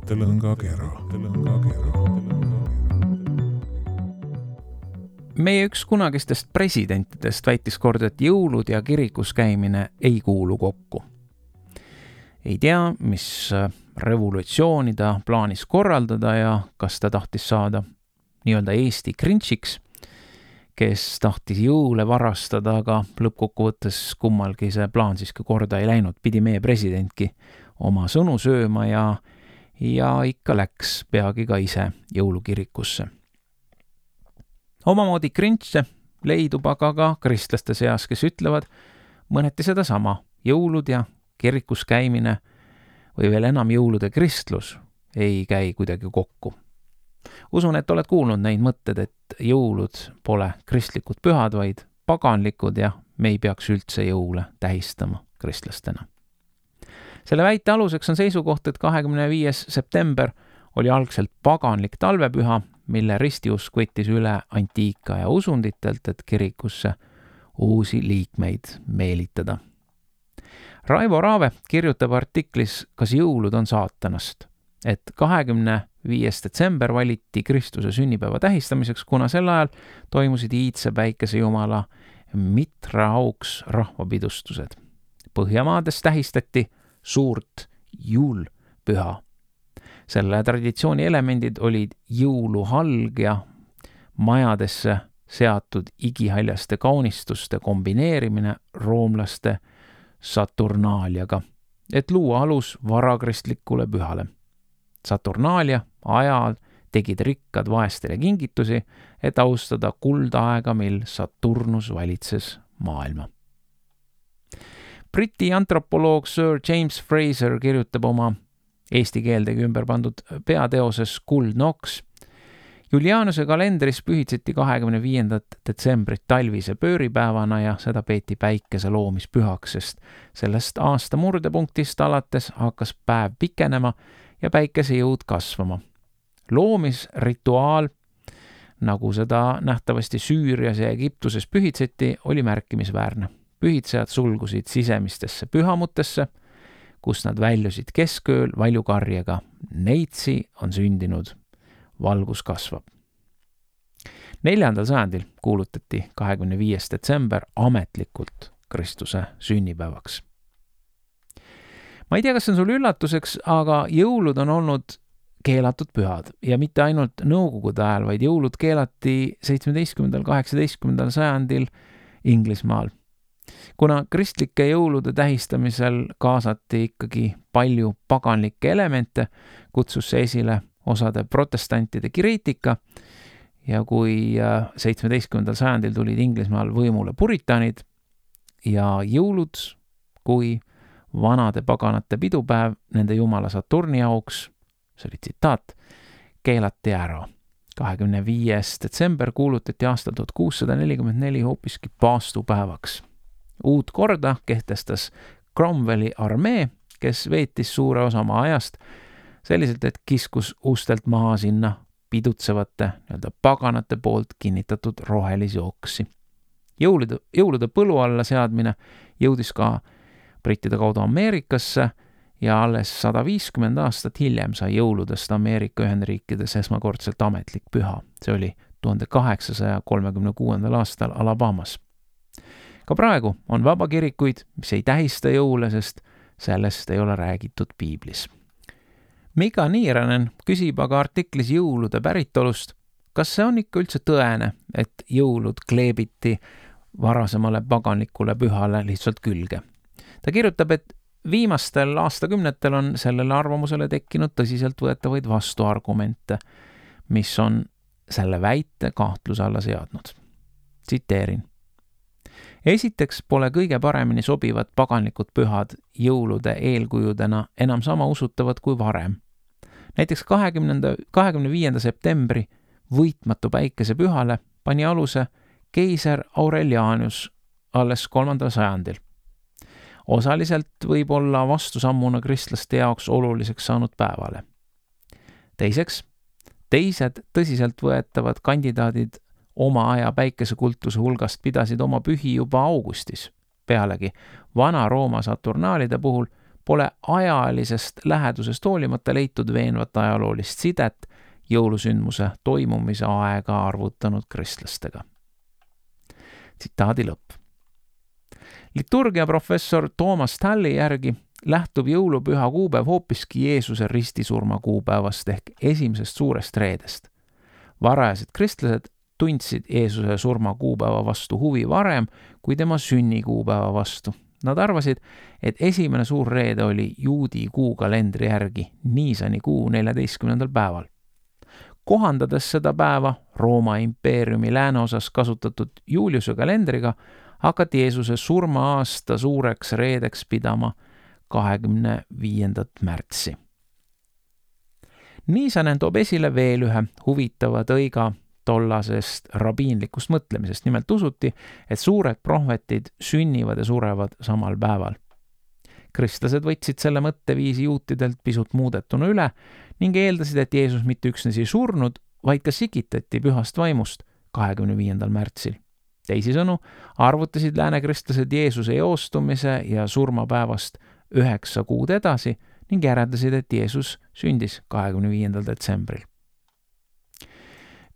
mõttelõngakera. Meie üks kunagistest presidentidest väitis kord, et jõulud ja kirikus käimine ei kuulu kokku. Ei tea, mis revolutsiooni ta plaanis korraldada ja kas ta tahtis saada nii-öelda Eesti Grinchiks, kes tahtis jõule varastada, aga lõppkokkuvõttes kummalgi see plaan siiski korda ei läinud. Pidi meie presidentki oma sõnu sööma ja ikka läks peagi ka ise jõulukirikusse. Omamoodi Grinche leidub aga ka kristlaste seas, kes ütlevad mõneti seda sama. Jõulud ja kirikus käimine või veel enam jõulude kristlus ei käi kuidagi kokku. Usun, et oled kuulnud neid mõtted, et jõulud pole kristlikud pühad, vaid paganlikud ja me ei peaks üldse jõule tähistama kristlastena. Selle väite aluseks on seisukoht, et 25. september oli algselt paganlik talvepüha, mille ristiusk võttis üle antiika ja usunditelt, et kirikusse uusi liikmeid meelitada. Raivo Raave kirjutab artiklis Kas jõulud on saatanast, et 25. detsember valiti Kristuse sünnipäeva tähistamiseks, kuna sel ajal toimusid iidse päikesejumala Mitra auks rahvapidustused. Põhjamaades tähistati suurt juulpüha. Selle traditsiooni elemendid olid jõuluhalg ja majadesse seatud igihaljaste kaunistuste kombineerimine roomlaste Saturnaaliaga, et luua alus varakristlikule pühale. Saturnaalia ajal tegid rikkad vaestele kingitusi, et austada kuldaega, mil Saturnus valitses maailma. Briti antropoloog Sir James Fraser kirjutab oma eesti keeldegi ümber pandud peateoses Kuld Noks. Julianuse kalendris pühitseti 25. detsembrit talvise pööripäevana ja seda peeti päikese loomispühaks, sest sellest aasta murdepunktist alates hakkas päev pikenema ja päikese jõud kasvama. Loomisrituaal, nagu seda nähtavasti Süürias ja Egiptuses pühitseti, oli märkimisväärne. Pühitsejad sulgusid sisemistesse pühamutesse, kus nad väljusid keskööl valjukarjega. Neitsi on sündinud, valgus kasvab. 4. sajandil kuulutati 25. detsember ametlikult Kristuse sünnipäevaks. Ma ei tea, kas see on sul üllatuseks, aga jõulud on olnud keelatud pühad ja mitte ainult nõukogude ajal, vaid jõulud keelati 17. 18. sajandil Inglismaal. Kuna kristlike jõulude tähistamisel kaasati ikkagi palju paganlikke elemente, kutsus see esile osade protestantide kriitika ja kui 17. sajandil tulid Inglismaal võimule puritanid ja jõulud kui vanade paganate pidupäev nende jumala Saturni auks, see oli tsitaat, keelati ära. 25. detsember kuulutati aastal 1644 hoopiski paastupäevaks. Uut korda kehtestas Cromwelli armee, kes veetis suure osa oma ajast selliselt, et kiskus ustelt maha sinna pidutsevate paganate poolt kinnitatud rohelisi oksi. Jõulude põlu alla seadmine jõudis ka brittide kaudu Ameerikasse ja alles 150 aastat hiljem sai jõuludest Ameerika Ühendriikides esmakordselt ametlik püha. See oli 1836. aastal Alabamas. Ka praegu on vabakirikuid, mis ei tähista jõule, sest sellest ei ole räägitud piiblis. Mika Niiranen küsib aga artiklis jõulude päritolust, kas see on ikka üldse tõene, et jõulud kleebiti varasemale paganlikule pühale lihtsalt külge. Ta kirjutab, et viimastel aastakümnetel on sellele arvamusele tekkinud tõsiselt võetavaid vastuargumente, mis on selle väite kahtluse alla seadnud. Tsiteerin. Esiteks pole kõige paremini sobivad paganlikud pühad jõulude eelkujudena enam sama usutavad kui varem. Näiteks 25. septembri võitmatu päikesepühale pani aluse keiser Aurelianus alles 3. sajandil. Osaliselt võib olla vastusammuna kristlaste jaoks oluliseks saanud päevale. Teiseks, teised tõsiselt võetavad kandidaadid oma aja päikesekultuse hulgast pidasid oma pühi juba augustis. Pealegi, Vana-Rooma Saturnaalide puhul pole ajalisest lähedusest hoolimata leitud veenvat ajaloolist sidet jõulusündmuse toimumise aega arvutanud kristlastega. Tsitaadi lõpp. Liturgiaprofessor Thomas Talli järgi lähtub jõulupüha kuupäev hoopiski Jeesuse ristisurma kuupäevast ehk esimesest suurest reedest. Varajased kristlased tundsid Jeesuse surma kuupäeva vastu huvi varem kui tema sünnikuupäeva vastu. Nad arvasid, et esimene suur reede oli juudi kuukalendri järgi Niisani kuu 14. päeval. Kohandades seda päeva Rooma impeeriumi lääneosas kasutatud Juliuse kalendriga, hakati Jeesuse surma-aasta suureks reedeks pidama 25. märtsi. Niisanen toob esile veel ühe huvitava tõiga tollasest rabiinlikust mõtlemisest. Nimelt usuti, et suured prohvetid sünnivad ja surevad samal päeval. Kristlased võtsid selle mõtteviisi juutidelt pisut muudetuna üle ning eeldasid, et Jeesus mitte üksnes ei surnud, vaid ka sikitati pühast vaimust 25. märtsil. Teisisõnu arvutasid läänekristlased Jeesuse eostumise ja surmapäevast 9 kuud edasi ning järeldasid, et Jeesus sündis 25. detsembril.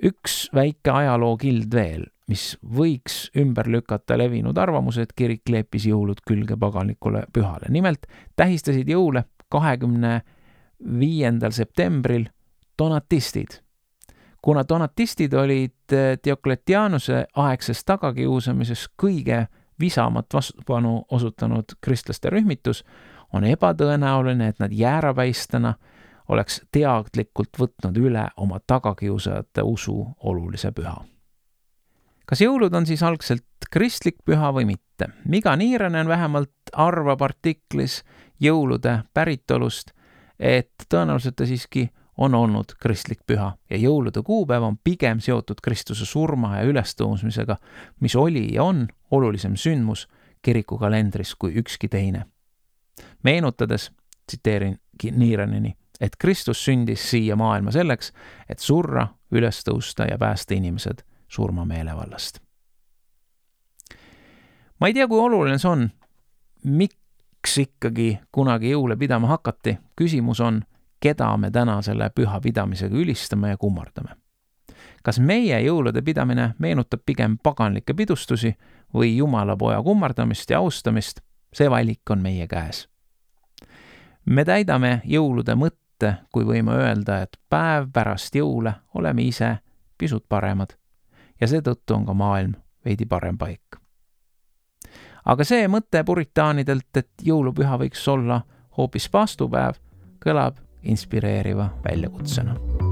Üks väike ajalookild veel, mis võiks ümber lükata levinud arvamuse, et kirik kleepis jõulud külge paganlikule pühale. Nimelt tähistasid jõule 25. septembril donatistid. Kuna donatistid olid Diokletianuse aegses tagakiusamises kõige visamat vastupanu osutanud kristlaste rühmitus, on ebatõenäoline, et nad jäärapäistena oleks teadlikult võtnud üle oma tagakiusajate usu olulise püha. Kas jõulud on siis algselt kristlik püha või mitte? Miga Niiranen vähemalt arvab artiklis jõulude päritolust, et tõenäoliselt ta siiski on olnud kristlik püha ja jõulude kuupäev on pigem seotud Kristuse surma ja ülestõusmisega, mis oli ja on olulisem sündmus kiriku kalendris kui ükski teine. Meenutades, tsiteerin Niiraneni, et Kristus sündis siia maailma selleks, et surra, üles tõusta ja päästa inimesed surmameelevallast. Ma ei tea, kui oluline see on, miks ikkagi kunagi jõule pidama hakati. Küsimus on, keda me täna selle püha pidamisega ülistame ja kummardame. Kas meie jõulude pidamine meenutab pigem paganlikke pidustusi või Jumalapoja kummardamist ja austamist? See valik on meie käes. Me täidame jõulude mõtte, kui võime öelda, et päev pärast jõule oleme ise pisut paremad ja seetõttu on ka maailm veidi parem paik. Aga see mõte puritaanidelt, et jõulupüha võiks olla hoopis paastupäev, kõlab inspireeriva väljakutsena.